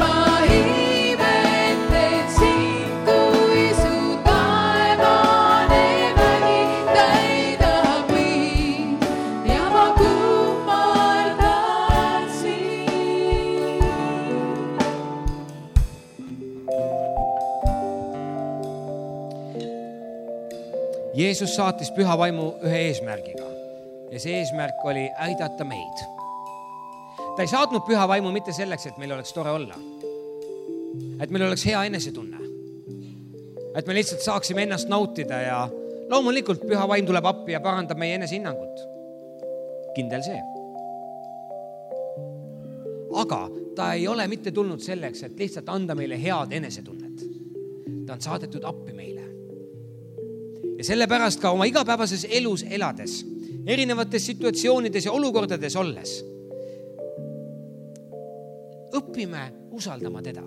Ma imetlen sind, kui su taevane vägi täidab mind ja ma kummardan sind. Jeesus saatis püha vaimu ühe eesmärgiga ja see eesmärk oli aidata meid. Ta ei saatnud püha vaimu mitte selleks, et meil oleks tore olla, et meil oleks hea enesetunne, et me lihtsalt saaksime ennast nautida ja loomulikult püha vaim tuleb appi ja parandab meie enesehinnangut. Kindel see. Aga ta ei ole mitte tulnud selleks, et lihtsalt anda meile head enesetunnet. Ta on saadetud appi meile. Ja sellepärast ka oma igapäevases elus elades, erinevates situatsioonides ja olukordades olles, õpime usaldama teda.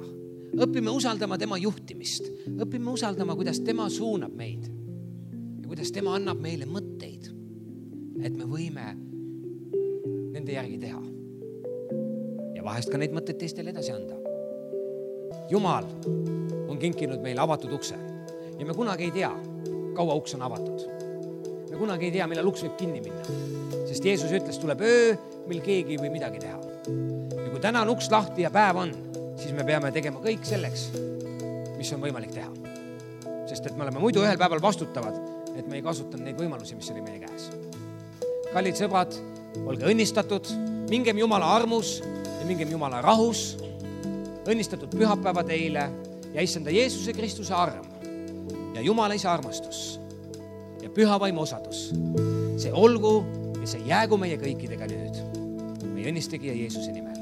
Õpime usaldama tema juhtimist. Õpime usaldama, kuidas tema suunab meid ja kuidas tema annab meile mõtteid, et me võime nende järgi teha. Ja vahest ka neid mõtteid teistele edasi anda. Jumal on kinkinud meile avatud ukse ja me kunagi ei tea, kaua uks on avatud. Me kunagi ei tea, millal uks võib kinni minna, sest Jeesus ütles, tuleb öö, mil keegi ei või midagi teha. Ja kui täna on uks lahti ja päev on, siis me peame tegema kõik selleks, mis on võimalik teha. Sest et me oleme muidu ühel päeval vastutavad, et me ei kasutanud neid võimalusi, mis oli meie käes. Kallid sõbrad, olge õnnistatud, mingem Jumala armus ja mingem Jumala rahus, õnnistatud pühapäeva teile ja issanda Jeesuse Kristuse arm ja Jumala isa armastus ja püha vaimu osadus. See olgu ja see jäägu meie kõikidega nüüd. Meie õnnistegija Jeesuse nimel.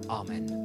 Amen.